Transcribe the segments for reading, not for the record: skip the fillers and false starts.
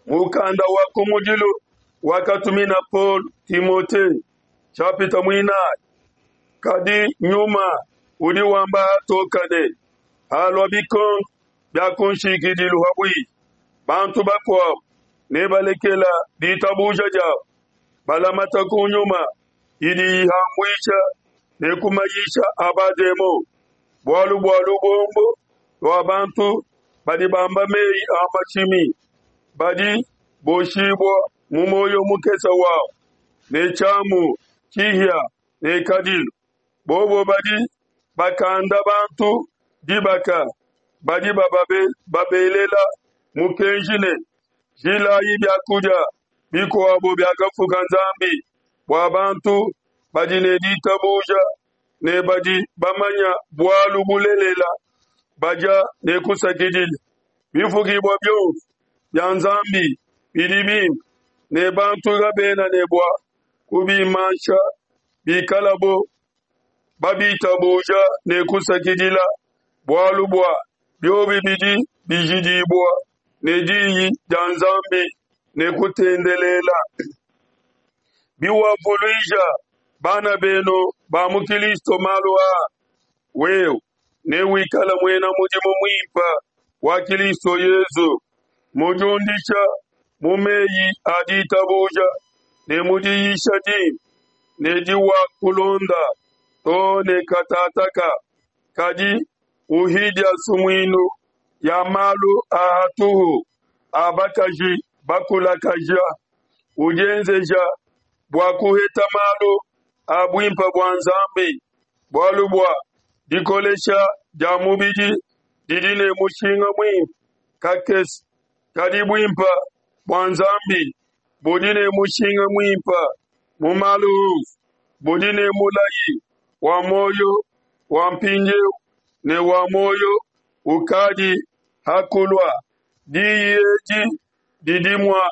Mukanda wa kumudilu wakatumina Paulo Timote, nshapita muinayi. Kadi nyuma udi wamba hatoka ne, halua bikondo bia ku nshikidilu pabuipi, bantu bakuabu nebalekela ditabuja diabu, balamata ku nyuma idi ihambuisha ne ku mayisha a bademon, bualu bua lubombo lua bantu badi bamba meyi a mashimi, badi boshibua mu muoyo mukese wabu ne tshiamu tshihia ne kadilu. Bobo badi bakanda bantu dibaka, badi babelela mukenji ne, Jilayi biakudia bikuabo biakafuka Nzambi bua bantu badi ne ditabuja ne badi bamanya bualu bulelela, badia ne kusakidila. Bifukibua bionso bia Nzambi bidi bimpe, ne bantu kabena ne bua kubimansha bikalabo babitabuja ne kusakidila, bualu bua biobi bidi bijidibua ne diyi dia Nzambi ne kutendelela. Biwavuluija bana benu ba mu Kilisto malu aa, wewe newikale muena mudimu muimpe wa Kilisto Yezu, mudiundisha mu meyi a ditabuja ne mu diyisha dimpe ne diwakulonda too ne katataka, kadi uhidia sumuinu ya malu a hatuhu a bakaji bakulakaja, udienzeja bua kuheta malu a buimpe bua Nzambi, bualu bua dikolesha dia mubidi didi ne mushinga muimpe kakese, kadi buimpe bua Nzambi budi ne mushinga muimpe mu malu onso, budi ne mulayi wa muoyo wa mpindieu ne wa muoyo ukadi ha kulua. Diyi edi didi mua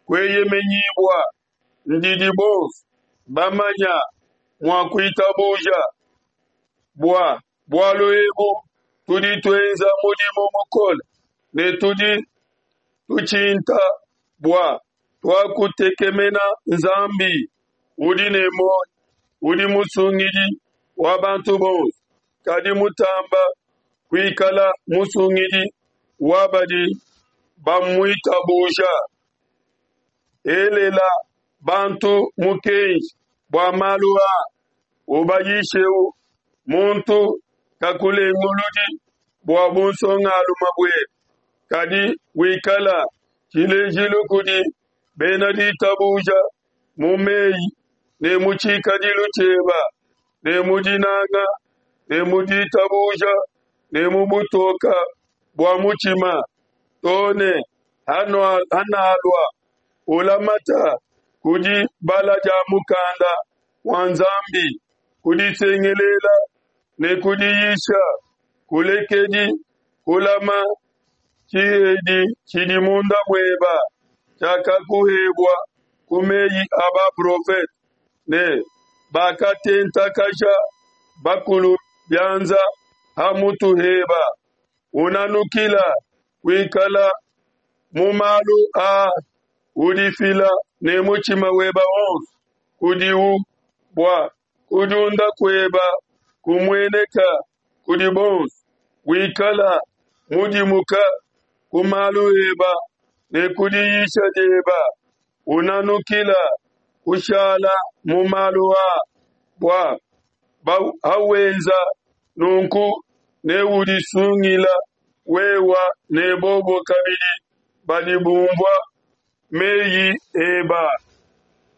kueyemenyibua, ndidi bonso bamanya mua kuitabuja. Bua bualu ebu tudi tuenza mudimu mukole ne tudi tutshinta bua tuakutekemena Nzambi udi ne muoyo, udi musungidi wa bantu bonso, kadi mutamba kuikala musungidi wa badi bamuitabuja. Elela bantu mukenji bua malu aa, ubayishewu. Muntu kakulenguludi bua bunsongalume buebe, kadi wikala tshilejilu kudi bena ditabuja mu meyi ne mu tshikadilu tshieba ne mu dinanga ne mu ditabuja ne mu butoka bua mutshima, too ne hanalua ulamata ku dibala dia mukanda wa Nzambi, ku disengelela ne ku diyisha. Kulekedi kulama tshihedi tshidi munda mueba tshiakakuhebua ku meyi a baprofete ne bakatentakaja bakulu bianza ha mutu heba. Unanukila kuikala mu malu aa, udifila ne mutshima weba wonso kudiwu, bua kudiunda kueba kumueneka kudi bonso. Wikala mudimuka ku malu eba ne ku diyisha dieba, unanukila kushala mu malu aa, bua hawenza nunku neudisungila wewa ne bobo kabidi badi bumvua meyi eba.